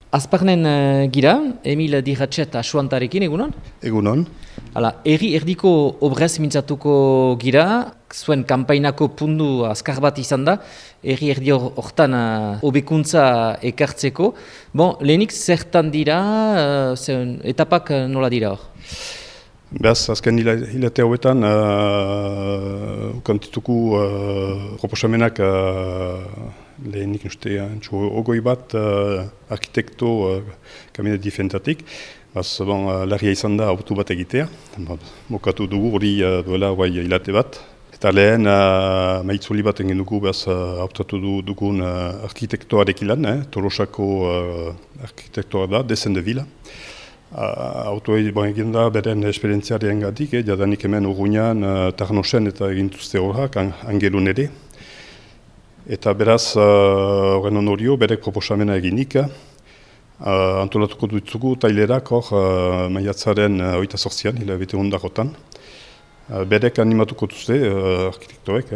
Azparnen gira, Emil Dirratxet asuantarekin, egunon? Egunon. Hala, erdiko obrez mintzatuko gira, zuen kanpainako pundu azkar bat izan da, erdi hortan hobekuntza ekartzeko. Bon, lehenik zertan dira, etapak nola dira hor? Beaz, azken hilate hauetan, ukantituko proposamenak lehenik ogoi bat arkitekto kabinet diferentatik. Larria izan da autu bat egitea. Mokatu dugu hori duela hilate bat. Eta lehen maitzuli bat egin dugu hautatu dugun arkitektoarekin lan, Tolosako arkitektoa da, Desen de Vila. Auto egin da beren esperientziaren gatik, jadanik hemen Urruñan, Tarnosen eta egintuzte horrak, Angelun ere. Eta beraz, horren onorio, berek proposamena eginik, antolatuko dutzugu tailerak hor maiatzaren 28an, hilabete hundarotan. Berek animatuko duzte, arkitektoek,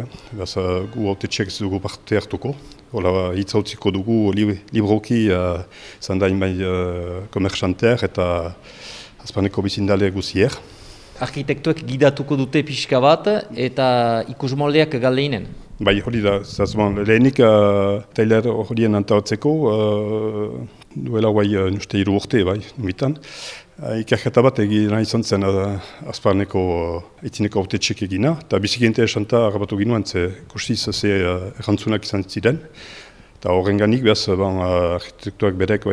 gu autetxeak ez dugu parte hartuko. Hitz hautziko dugu libroki zandain bai komerxanter eta azpaneko bizindale guzier. Arkitektoek gidatuko dute pixka bat eta ikusmoldeak galdeinen? Bai, hori da, lehenik tailer horien antolatzeko duela nuste 3 urte, bai, numitan. Ikerketa bat egin izan zen azparneko itzineko autetxek egina, eta biziki interesanta harrapatu ginoen, kustiz ze errantzunak izan ziren. Eta horren ganik, arkitektuak berek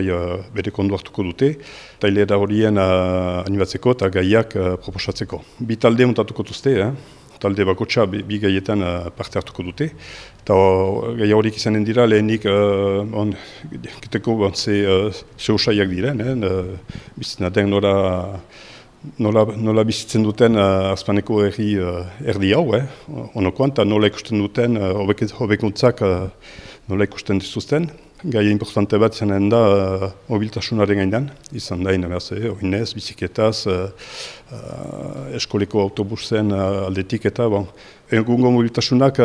ondo hartuko dute, tailera horien animatzeko eta gaiak proposatzeko. Bi talde montatuko duzte, talde bakotxa bi gaietan parte hartuko dute. Eta gaia horik izanen dira lehenik ze usaiak diren, bizitzen aden nola bizitzen duten azpaneko erdi hau, onokoan, eta nola ikusten duten hobekuntzak nola ikusten dituzten. Gaia importante bat izanen da mobiltasunaren gainan, izan dain, oinez, biziketaz, eskoleko autobusen aldetik eta egungo mobiltasunak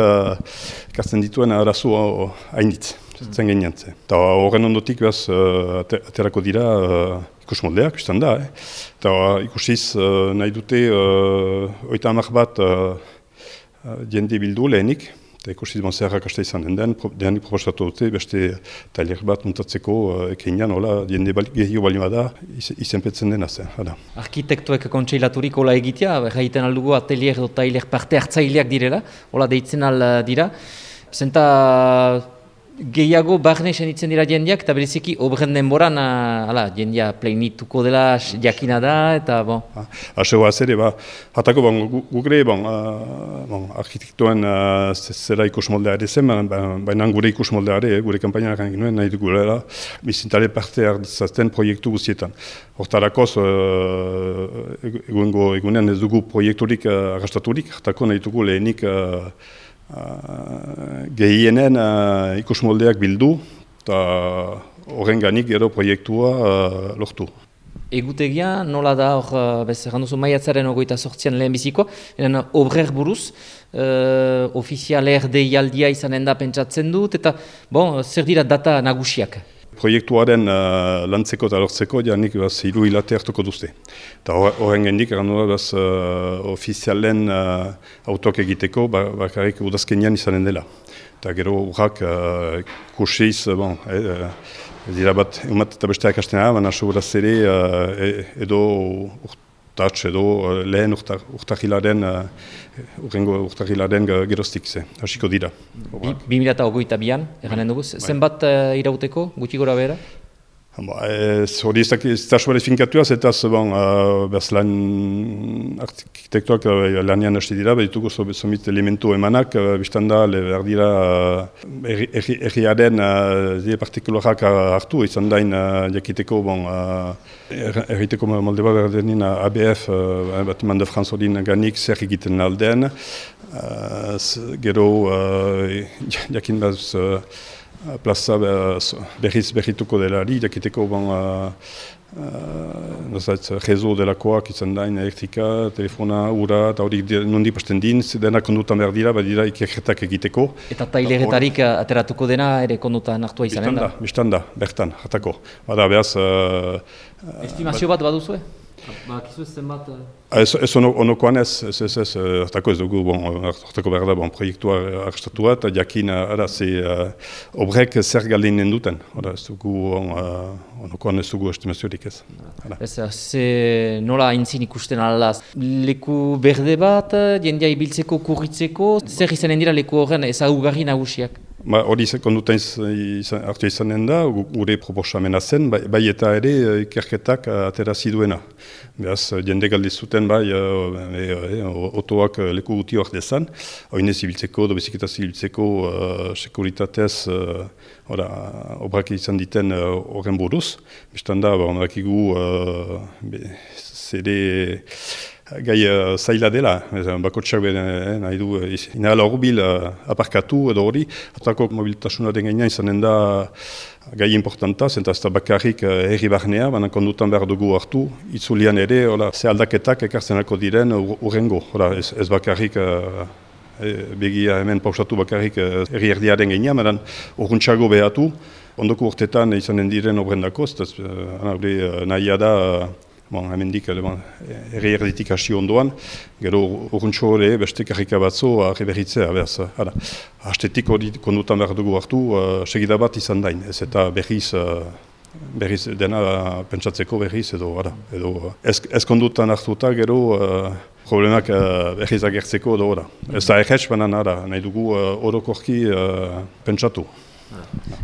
ekartzen dituen arazo hainitz, zen gainantze. Eta horren ondotik aterako dira ikusmoldeak, izan da. Eta ikusiz nahi dute 30 bat jende bildu lehenik. Eta ikusiz zeharrak hasta izan den, dehanik proposatu dute beste tailer bat muntatzeko ekeinan, jende gehiago bali bada izenpetzen dena zen. Arkitektoek kontseilaturik hola egitea, jaiten aldugu atelier edo tailer parte hartzaileak direla, hola deitzen dira. Zenta gehiago barne senitzen dira jendeak, eta bereziki obren denboran jendea pleinituko dela jakina da, eta bon. Hasegoa zere, hatako gure arkitektoen zera ikusmoldea ere zen, baina gure ikusmoldea ere, gure kampainak egin nahi dugulera, bizintale parte hartzaten proiektu guztietan. Hortarakoz, egunean ez dugu proiekturik arrastaturik, hatako nahi dugu lehenik gehienen ikusmoldeak bildu eta horren ganik gero proiektua lortu. Egutegia nola da hor, janduzu maiatzaren 28an lehenbizikoa, obrer buruz, ofizialer deialdia izanen da pentsatzen dut, eta zer dira data nagusiak? Proiektuaren lantzeko eta lortzeko janik 3 hilate hartuko duzte. Eta horren gendik, ofizialen autoak egiteko bakarrik udazkenian izanen dela. Eta gero urrak kursiz, dira bat egumat eta besteak hasten baina seguraz ere edo urtatx edo lehen urtahilaren geroztik hasiko dira. 2022an, eranen dugu, zenbat irauteko, gutxi gora behera? Hori ez da sobera finkatuaz, eta lan arkitektuak lanian hasti dira, ditugu zomit elementu emanak, biztan da, behar dira erriaren partikularak hartu, izan dain jakiteko, erriteko molde bat behar denin ABF, Batiman de France odin ganik zer egiten aldean, gero jakin plaza berrituko delari, jakiteko rezo delakoak izan da, elektrika, telefona, ura, eta hori nondi pasten din, dena kondutan behar dira, badira ikerketak egiteko. Eta taileretarik ateratuko dena ere kondutan hartua izanen da? Bistanda, bertan, jatako. Bada behaz... Estimazio bat baduzue? Bakizu ez zenbat... Ez onokoan ez hartako ez dugu, hartako behar da, proiektua argestatua, eta jakin, obrek zer galdinen duten. Ez dugu, onokoan ez dugu estimaziorik ez. Nola aintzin ikusten alaz? Leku berde bat, jendea ibiltzeko, kurritzeko, zer izanen dira leku horren ezagugarri nagusiak? Hori kondutan hartu izanen da, gure proposamena zen, bai eta ere ikerketak aterazi duena. Beraz, jende galdizuten bai, otoak leku guti hor dezan, oinez ibiltzeko, bizikletaz ibiltzeko, sekuritatez, obrak izan diten horren buruz. Bistan da, dakigu, zede... Gai zaila dela, bakotxak nahi du inahala horbil aparkatu edo hori. Atako mobilitasunaren gainean izanen da gai importanta, zenta ez da bakarrik herri barnea, baina kondutan behar dugu hartu, itzulian ere, ze aldaketak ekartzenako diren urrengo. Ez bakarrik begia hemen pausatu bakarrik herri erdiaren gainean, baina urruntxago behatu, ondoko urtetan izanen diren obrendako, nahia da, hemendik herri erditik hasi ondoan, gero urruntxo hori beste karrika batzu arreberritzea. Hastetik hori kondutan behar dugu hartu, segida bat izan dain, ez eta berriz dena pentsatzeko berriz edo ez kondutan hartuta gero problemak berriz agertzeko edo ez da erretz banan nahi dugu orokorki pentsatu.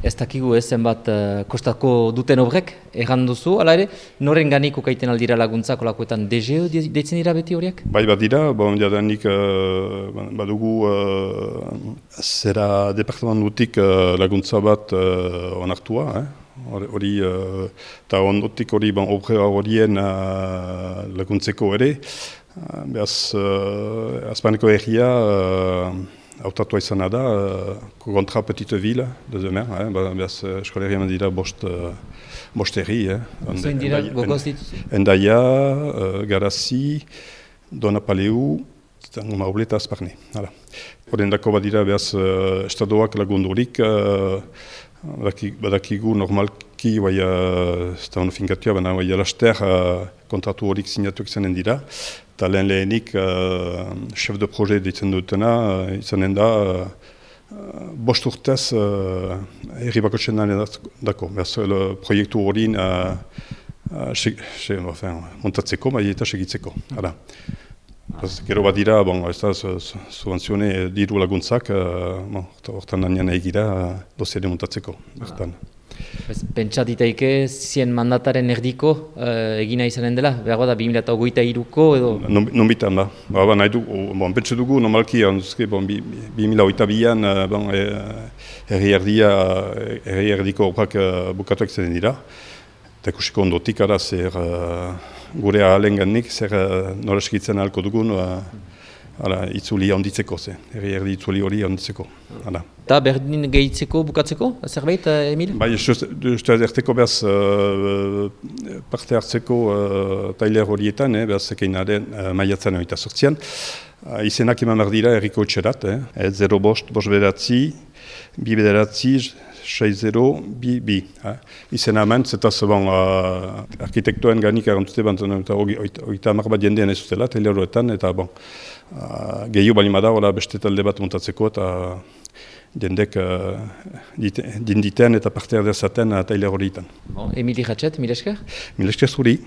Ez dakigu zenbat kostako duten obrek, erran duzu, ala ere, noren ganiko kaiten aldira laguntzak olakoetan DGO deitzen dira beti horiek? Bai bat dira, jadanik badugu zera departamentutik laguntza bat onartua, hori, eta ondotik hori obra horien laguntzeko ere, behaz Azpaneko herria, hautatua izana da, kontra Petite Ville de Zemer, behaz eskoleria dira bost herri. Zoin dira gogoz dituzu? Endaia, Garazi, Donapaleu, Mauble eta Azparne. Horren dako badira behaz estadoak lagundurik, badakigu normalki, ez da hono finkatua, baina laster kontratu horik sinatuak izanen dira. Eta lehenik chef de projet ditzen dutena, izanen da bost urtez herri bakotxen dako. Proiektu hori montatzeko, eta segitzeko. Gero bat dira, ez da subvenzione diru laguntzak, hortan nanian egira dosiere montatzeko. Pentsa ditaike zien mandataren erdiko egina izanen dela? Behar da 2023ko edo? Nonbitan da. Nahi du, pentsa dugu, normalki 2022an herri erdiko obrak bukatuak zen dira. Eta ikusiko ondotik zer gure ahalenganik, zer nola eskitzen ahalko dugun, itzuli handitzeko, herri erdi itzuli hori handitzeko. Eta berdin gehitzeko, bukatzeko, zerbait, Emil? Bai, uste erteko behaz parte hartzeko tailer horietan, behaz ekeinaren maiatzen eta sortzian. Izenak eman behar dira herriko etxerat, 0 bost beratzi, 2 bederatzi, 6-0-2-2. Izen hemen, zetaz arkitektoen ganik erantute eta oita hamar bat jendean ez zutela, tailer horretan, eta gehiago balimada beste talde bat montatzeko eta jendek dinditen eta parte erdezaten tailer horietan. Emili Ratxet, mil esker? Mil esker zuri.